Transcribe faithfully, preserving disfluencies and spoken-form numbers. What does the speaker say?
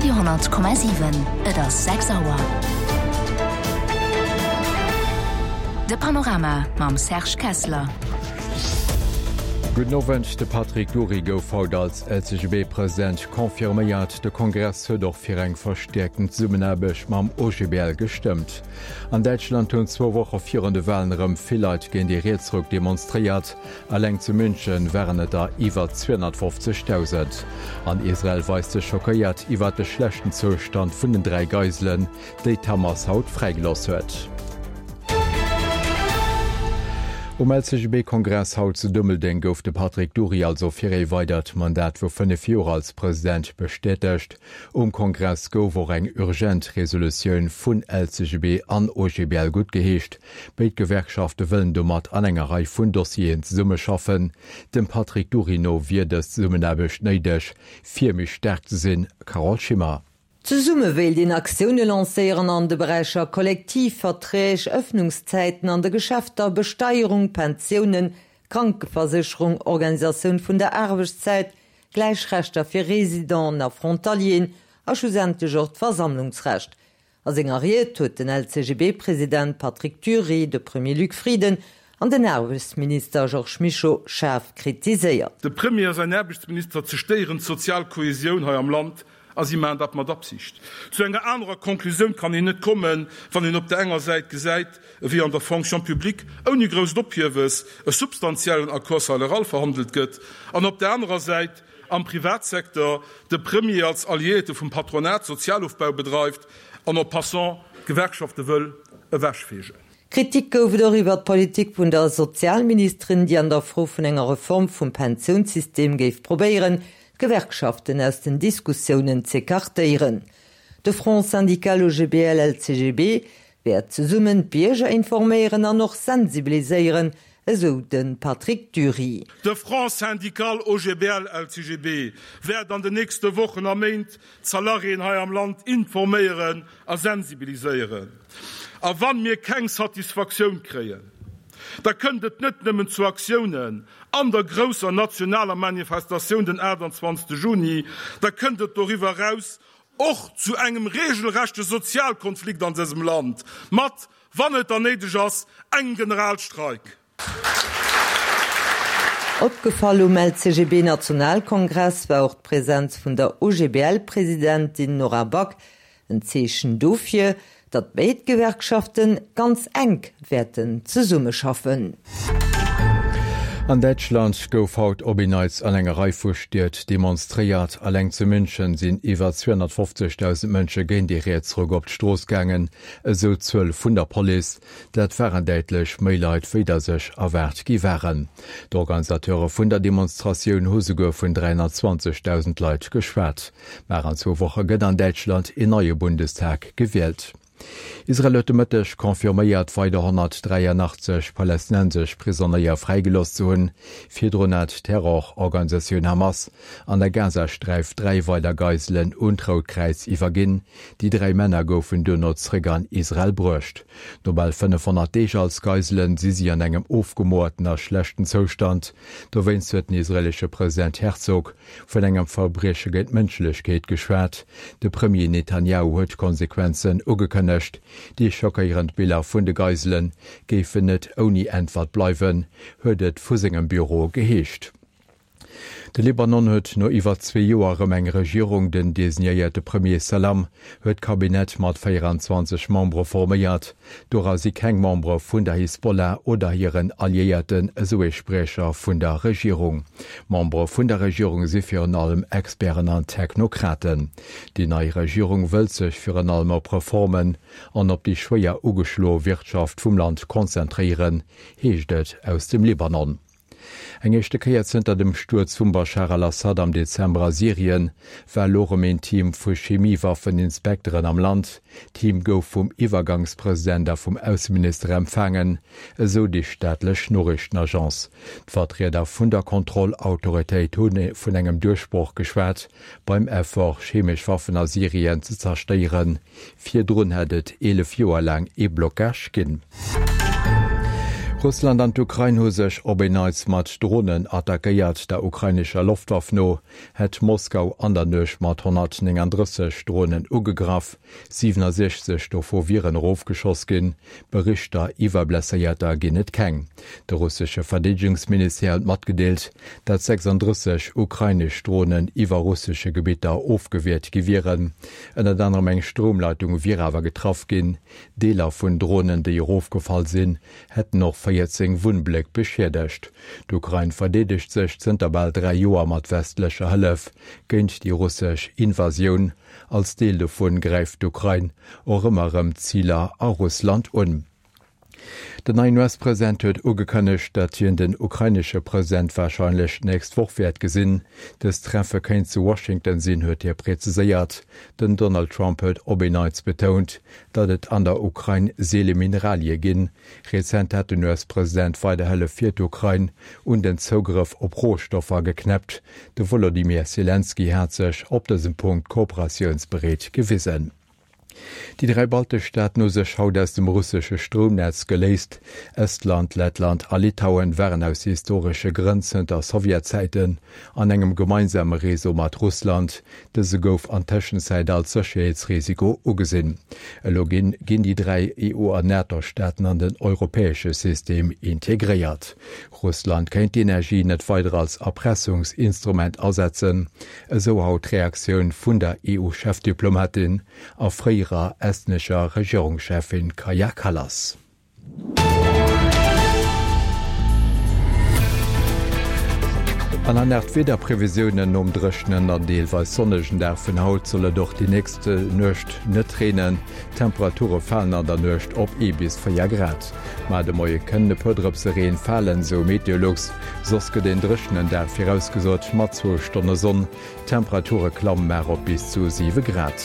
Radio honnert Komma siwen, Et ass sechs Auer. De Panorama mam Serge Kessler. Gudden Owend, De Patrick Dury gouf haut als L C G B-President confirméiert. De Kongress huet och fir eng verstäerkten Zesummenaarbecht mam O G B L gestëmmt. An Däitschland hunn zwou Woche virun de Walen erëm vill Leit géint de Rietsruck demonstréiert. Eleng zu München waren et der iwwer zweehonnertfofzegdausend. An Israel weist sech schockéiert iwwer de schlechten Zoustand vun den dräi Geiselen, déi d'Hamas haut fräigelooss huet. Um L C G B-Kongress haut zu Dummeldeng gouf de Patrick Dury also fir ee weidert Mandat vu fënnef Joer als President bestätegt. Um Kongress gouf och eng urgent Resolutioun vun L C G B an O G B L guttgeheescht. Béid Gewerkschafte wëllen domat an enger Rei vun Dossieren zesummeschaffen. Dem Patrick Dury no wier dës Zesummenaarbecht néideg, fir méi staark ze sinn. Carole Schimmer. Zesumme wéilt een Aktioune lancéieren an de Beräicher Kollektivverträg, Ëffnungszäiten an de Geschäfter, Besteierung, Pensiounen, Krankeversécherung, Organisatioun vun der Aarbechtszäit, gläich Rechter fir Residenten a Frontalieren a schlussendlech och d'Versammlungsrecht. A senger Ried huet den L C G B-President Patrick Dury de Premier Luc Frieden an den Aarbechtsminister Georges Mischo schaarf kritiséiert. De Premier a säin Aarbechtsminister zerstéieren d'sozial Kohesioun hei am Land a si maachen dat mat Absicht. Zu enger anerer Konklusioun kann een net kommen, wann een op der enger Säit gesäit, wéi an der Fonction publique ouni grousst Ophiewes e substantiellen Accord salarial verhandelt gëtt, an op der anerer Säit am Privatsecteur de Premier als Alliéierte vum Patronat Sozialofbau bedreift an en passant d'Gewerkschafte wëll ewechfeegen. Kritik gouf et och iwwer d'Politik vun der Sozialministerin, déi an der Fro vun enger Reform vum Pensiounssystem géif probéieren, d'Gewerkschaften aus den Diskussiounen z'ecartéieren. De Front syndical O G B L L C G B wäert zesummen d'Bierger informéieren an och sensibiliséieren, esou de Patrick Dury. De Front syndical O G B L L C G B wäert an den nächste Wochen a Méint d'Salariéen hei am Land informéieren a sensibiliséieren. A wa mir keng Satisfaktioun kréien, da kënnt et net nëmmen zu Aktiounen an der grousser nationaler Manifestatioun den aachtanzwanzegste Juni, da kënnt et doriwwer eraus och zu engem regelrechte Sozialkonflikt an dësem Land, mat, wann et dann néideg ass, engem Generalstreik. Opgefall um L C G B-Nationalkongress war och d'Presenz vun der O G B L-Presidentin Nora Back, en Zeechen dofir, datt béid Gewerkschafte ganz enk wäerten zesummeschaffen. An Däitschland gouf haut op en Neits an enger Rei vu Stied demonstréiert. Eleng zu München sinn iwwer zweehonnertfofzegdausend Mënsche géint de Rietsruck op d'Strooss gaangen, esou d'Zuel vun der Police. Dat waren däitlech méi Leit, wéi der sech erwaart gi waren. D'Organisateure vun der Demonstratioun hu souguer vun dräihonnertzwanzegdausend Leit geschwat. Mar an zwou Woche gëtt an Däitschland een neie Bundestag gewielt. Israel huet de Mëtteg confirméiert, weider honnertdräianachtzeg palästinensesch Prisonéier fräigelooss ze hunn. Virdrun hat d'Terrororganisatioun Hamas an der Gazasträif dräi weider Geiselen un d'Rout Kräiz iwwerginn. Déi dräi Männer goufen duerno zeréck an Israel bruecht. No bal fënnefhonnert Deeg als Geiselen si si an engem ofgemoerten a schlechten Zoustand. Dowéinst huet den israeelesche President Herzog vun engem Verbrieche géint d'Mënschlechkeet geschwat. De Premier Netanjahu huet Konsequenzen ugekënnegt. Déi schockéierend Biller vun de Geisele géifen net ouni Äntwert bleiwen, huet et vu sengem Büro geheescht. De Libanon huet no iwwer zwee Joer erëm eng Regierung. Den designéierte Premier Salam huet d'Kabinett mat véieranzwanzeg Membere forméiert. Dora si keng Membere vun der Hisbollah oder hiren Alliéierten, esou ee Spriecher vun der Regierung. Membere vun der Regierung si virun allem Experten an Technokraten. Déi nei Regierung wëllt sech virun allem op Reformen an op déi schwéier ugeschloe Wirtschaft vum Land konzentréieren, heescht et aus dem Libanon. Eng éischte Kéier zënter dem Stuerz vum Bashar al-Assad am Dezember a Syrien war elo erëm een Team vu Chemiewaffeninspekteren am Land. D'Team gouf vum Iwwergangspresident a vum Ausseminister empfaangen, esou déi staatlech Noriichtenagence. D'Vertrieder vun der Kontrollautoritéit hu vun engem Duerchbroch geschwat beim Effort, chemesch Waffen a Syrien ze zerstéieren. Virdrun hätt et eelef Joer laang ee Blockage ginn. Russland an d'Ukrain hu sech op en Neits mat Dronen attackéiert. Der ukrainescher Loftwaff no hätt Moskau an der Nuecht mat honnertnénganddrësseg Dronen ugegraff, siwenesechzeg dovu wieren erofgeschoss ginn. Berichter iwwer Blesséierter ginn et keng. De russesche Verdeedegungsministère huet matgedeelt, datt sechsandrësseg ukrainesch Dronen iwwer russesche Gebitter ofgewiert gi wieren. Ënnert anerem eng Stroumleitung wier awer getraff ginn. Deeler vun Dronen, déi erofgefall sinn, hätten och véierzéng Wunnbléck beschiedegt. D'Ukrain verdeedegt sech zënter bal dräi Joer mat westlecher Hëllef géint déi russesch Invasioun. Als Deel dovun gräift d'Ukrain och ëmmer erëm Ziler a Russland un. Den neien U S-President huet ugekënnegt, datt hien den ukrainesche President warscheinlech d'nächst Woch wäert gesinn. Dëst Treffe kéint zu Washington sinn, huet hie präziséiert. Den Donald Trump huet op en Neits betount, datt et an der Ukrain seele Mineralie ginn. Rezent hat den U S-President weider Hëllef fir d'Ukrain un den Zougrëff op Rohstoffer geknäppt. De Wolodymyr Selenskyj hat sech op dësem Punkt kooperatiounsbereet gewisen. Déi dräi baltesch Staaten hu sech haut aus dem russesche Stroumnetz geléist. Estland, Lettland a Litauen waren aus historesche Grënn zënter Sowjetzäiten an engem gemeinsame Réseau mat Russland. Dëse gouf an Tëschenzäit als Sécherheetsrisiko ugesinn. Elo ginn ginn déi dräi E U an NATO-Staaten an den europäesche System integréiert. Russland kéint d'Energie net weider als Erpressungsinstrument asetzen, esou haut d'Reaktioun vun der E U-Chefdiplomatin a fréierer estnescher Regierungscheffin Kaja Kallas. An dann nach d'Wiederprevisiounen, Nom dréchenen an deelweis sonnegen Dag vun haut soll et och déi nächst Nuecht net reenen. D'Temperature falen an der Nuecht op ee bis véier Grad. Ma de Moie kënnen e puer Drëpse Reen falen, sou Meteolux. Soss gëtt een dréchenen Dag virausgesot mat zwou Stonne Sonn. D'Temperature klamme mar op bis zu siwe Grad.